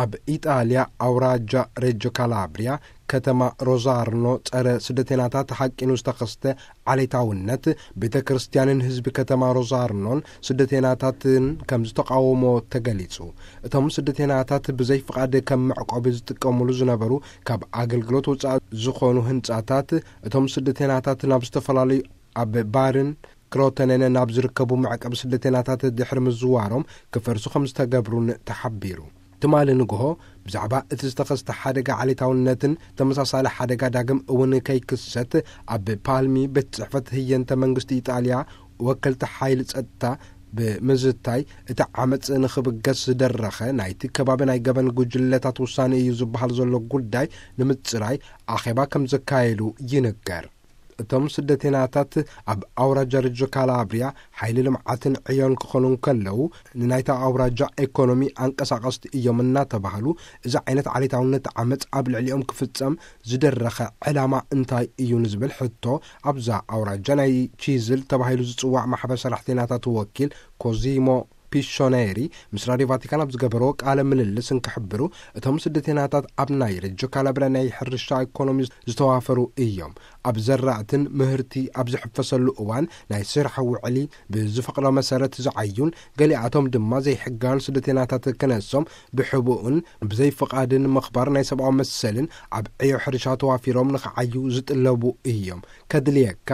ኣብ ኢጣልያ ኣውራጃ ሬጆ ካላብሪያ፣ ከተማ ሮዛርኖ፣ ጸረ ስደተናታት ሓቂኑ ዝተኸስተ ዓሌታውነት፣ ቤተ ክርስቲያንን ህዝቢ ከተማ ሮዛርኖን ስደተናታትን ከም ዝተቃወሞ ተገሊጹ። እቶም ስደተናታት ብዘይ ፍቓድ ከም መዕቆቢ ዝጥቀሙሉ ዝነበሩ ካብ ኣገልግሎት ወጻኢ ዝኾኑ ህንጻታት፣ እቶም ስደተናታት ናብ ዝተፈላለዩ ኣብ ባርን ክሮተነን ናብ ዝርከቡ መዕቀቢ ስደተናታት ድሕሪ ምዝዋሮም ክፈርሱ ከም ዝተገብሩን ተሓቢሩ። ትማሊ ንግሆ ብዛዕባ እቲ ዝተኸስተ ሓደጋ ዓሌታውነትን ተመሳሳሊ ሓደጋ ዳግም እውን ከይክሰት ኣብ ፓልሚ ቤት ጽሕፈት ህየንተ መንግስቲ ኢጣልያ ወከልቲ ሓይሊ ጸጥታ ብምዝታይ፣ እቲ ዓመጽ ንኽብገስ ዝደረኸ ናይቲ ከባቢ ናይ ገበን ጉጅለታት ውሳኔ እዩ ዝበሃል ዘሎ ጉዳይ ንምጽራይ ኣኼባ ከም ዘካየዱ ይንገር። እቶም ስደተናታት ኣብ ኣውራጃ ርጆ ካላብሪያ ሓይሊ ልምዓትን ዕዮን ክኾኑ እንከለዉ፣ ንናይታ ኣውራጃ ኤኮኖሚ ኣንቀሳቐስቲ እዮም እናተባህሉ፣ እዚ ዓይነት ዓሌታውነት ዓመጽ ኣብ ልዕሊኦም ክፍጸም ዝደረኸ ዕላማ እንታይ እዩ ንዝብል ሕቶ፣ ኣብዛ ኣውራጃ ናይ ቺዝል ተባሂሉ ዝጽዋዕ ማሕበር ሰራሕተኛታት ወኪል ኮዚሞ ፒሾኔሪ ምስ ራድዮ ቫቲካን ኣብ ዝገበርዎ ቃለ ምልልስ እንክሕብሩ፣ እቶም ስደተናታት ኣብ ናይ ርጆ ካላብሪያ ናይ ሕርሻ ኢኮኖሚ ዝተዋፈሩ እዮም። ኣብ ዘራእትን ምህርቲ ኣብ ዝሕፈሰሉ እዋን ናይ ስራሕ ውዕሊ ብዝፈቕዶ መሰረት ዝዓዩን፣ ገሊኣቶም ድማ ዘይሕጋውያን ስደተናታት ክነሶም ብሕቡእን ብዘይ ፍቓድን ምኽባር ናይ ሰብኣዊ መሰልን ኣብ ዕዮ ሕርሻ ተዋፊሮም ንኽዓዩ ዝጥለቡ እዮም። ከድልየካ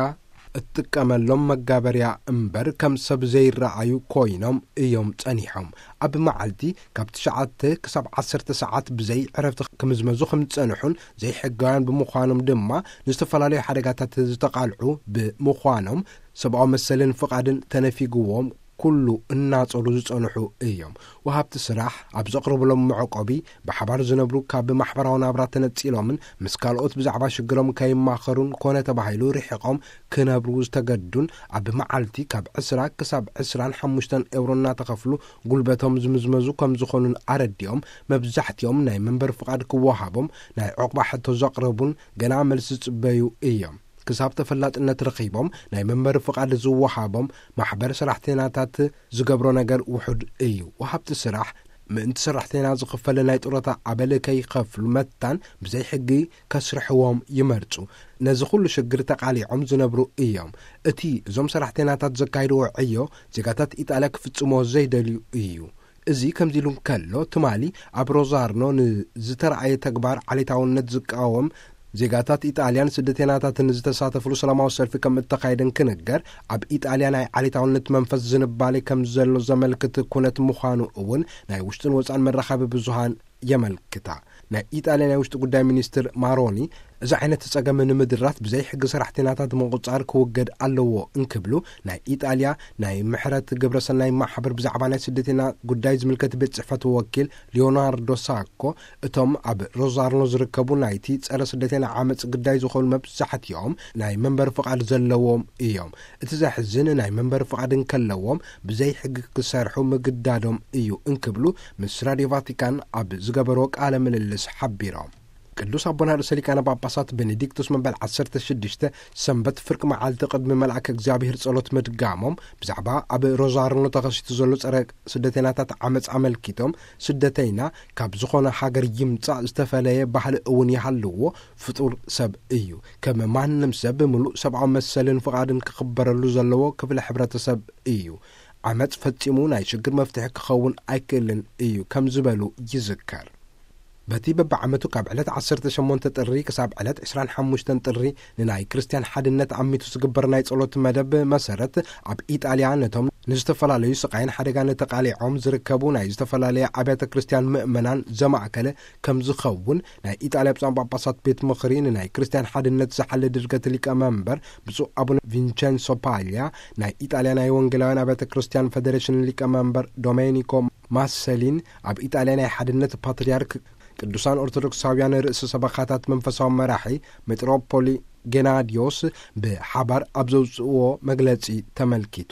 እትጥቀመሎም መጋበርያ እምበር ከም ሰብ ዘይረኣዩ ኮይኖም እዮም ጸኒሖም። ኣብ መዓልቲ ካብ ትሽዓተ ክሳብ ዓሰርተ ሰዓት ብዘይ ዕረፍቲ ክምዝመዙ ከም ዝጸንሑን ዘይሕጋውያን ብምዃኖም ድማ ንዝተፈላለዩ ሓደጋታት ዝተቓልዑ ብምዃኖም ሰብኣዊ መሰልን ፍቓድን ተነፊግዎም ኩሉ እናጸሩ ዝጸንሑ እዮም። ወሃብቲ ስራሕ ኣብ ዘቕርብሎም መዕቆቢ ብሓባር ዝነብሩ ካብ ማሕበራዊ ናብራ ተነጺሎምን ምስ ካልኦት ብዛዕባ ሽግሮም ከይማኸሩን ኮነ ተባሂሉ ርሒቖም ክነብሩ ዝተገዱን ኣብ መዓልቲ ካብ ዕስራ ክሳብ ዕስራን ሓሙሽተን ኤውሮ እናተኸፍሉ ጉልበቶም ዝምዝመዙ ከም ዝኾኑን ኣረዲኦም፣ መብዛሕትኦም ናይ መንበሪ ፍቓድ ክወሃቦም ናይ ዕቑባ ሕቶ ዘቕረቡን ገና መልሲ ዝጽበዩ እዮም። ክሳብ ተፈላጥነት ረኺቦም ናይ መንበሪ ፍቓድ ዝወሃቦም ማሕበር ሰራሕተኛታት ዝገብሮ ነገር ውሑድ እዩ። ወሃብቲ ስራሕ ምእንቲ ሰራሕተኛ ዝኽፈል ናይ ጡረታ ኣበል ከይኸፍሉ መታን ብዘይ ሕጊ ከስርሕዎም ይመርጹ። ነዚ ኩሉ ሽግር ተቓሊዖም ዝነብሩ እዮም። እቲ እዞም ሰራሕተኛታት ዘካይድዎ ዕዮ ዜጋታት ኢጣልያ ክፍጽሞ ዘይደልዩ እዩ። እዚ ከምዚ ኢሉ እንከሎ፣ ትማሊ ኣብ ሮዛርኖ ንዝተረኣየ ተግባር ዓሌታውነት ዝቃወም ዜጋታት ኢጣልያን ስደተኛታትን ዝተሳተፍሉ ሰላማዊ ሰልፊ ከም እተኻየደ እንክንገር፣ ኣብ ኢጣልያ ናይ ዓሌታውነት መንፈስ ዝንባሌ ከም ዘሎ ዘመልክት ኩነት ምዃኑ እውን ናይ ውሽጥን ወጻን መራኸቢ ብዙሃን የመልክታ። ናይ ኢጣልያ ናይ ውሽጢ ጉዳይ ሚኒስትር ማሮኒ፣ እዚ ዓይነት ጸገም ንምድራት ብዘይ ሕጊ ሰራሕተኛታት ምቁጻር ክውገድ ኣለዎ እንክብሉ፣ ናይ ኢጣልያ ናይ ምሕረት ግብረሰናይ ማሕበር ብዛዕባ ናይ ስደተኛ ጉዳይ ዝምልከት ቤት ጽሕፈት ወኪል ሊዮናርዶ ሳኮ፣ እቶም ኣብ ሮዛርኖ ዝርከቡ ናይቲ ጸረ ስደተኛ ዓመጽ ግዳይ ዝኾኑ መብዛሕትኦም ናይ መንበሪ ፍቓድ ዘለዎም እዮም። እቲ ዘሕዝን፣ ናይ መንበሪ ፍቓድ እንከለዎም ብዘይ ሕጊ ክሰርሑ ምግዳዶም እዩ እንክብሉ ምስ ራድዮ ቫቲካን ኣብ ዝገበርዎ ቃለ ምልልስ ሓቢሮም። ቅዱስ ኣቦና ርእሰ ሊቃነ ጳጳሳት ቤኔዲክቱስ መበል ዓሰርተ ሽዱሽተ፣ ሰንበት ፍርቂ መዓልቲ ቅድሚ መልኣከ እግዚኣብሔር ጸሎት ምድጋሞም፣ ብዛዕባ ኣብ ሮዛርኖ ተኸሲቱ ዘሎ ጸረ ስደተኛታት ዓመጽ ኣመልኪቶም፣ ስደተይና ካብ ዝኾነ ሃገር ይምጻእ ዝተፈለየ ባህሊ እውን ይሃልዎ፣ ፍጡር ሰብ እዩ። ከም ማንም ሰብ ብምሉእ ሰብኣዊ መሰልን ፍቓድን ክኽበረሉ ዘለዎ ክፍለ ሕብረተሰብ እዩ። ዓመጽ ፈጺሙ ናይ ሽግር መፍትሒ ክኸውን ኣይክእልን እዩ ከም ዝበሉ ይዝከር። በቲ በብዓመቱ ካብ ዕለት ዓሰርተ ሸሞንተ ጥሪ ክሳብ ዕለት ዕስራን ሓሙሽተን ጥሪ ንናይ ክርስትያን ሓድነት ኣሚቱ ዝግበር ናይ ጸሎት መደብ መሰረት፣ ኣብ ኢጣልያ ነቶም ንዝተፈላለዩ ስቓይን ሓደጋን ተቓሊዖም ዝርከቡ ናይ ዝተፈላለየ ኣብያተ ክርስትያን ምእመናን ዘማእከለ ከም ዝኸውን ናይ ኢጣልያ ብፁዓን ጳጳሳት ቤት ምኽሪ ንናይ ክርስትያን ሓድነት ዝሓሊ ድርገት ሊቀ መንበር ብፁዕ ኣቡነ ቪንቸንሶ ፓልያ፣ ናይ ኢጣልያ ናይ ወንጌላውያን ኣብያተ ክርስትያን ፌደሬሽን ሊቀ መንበር ዶሜኒኮ ማሰሊን፣ ኣብ ኢጣልያ ናይ ሓድነት ፓትርያርክ ቅዱሳን ኦርቶዶክሳውያን ርእሰ ሰበኻታት መንፈሳዊ መራሒ ሜጥሮፖሊ ጌናድዮስ ብሓባር ኣብ ዘውፅእዎ መግለጺ ተመልኪቱ።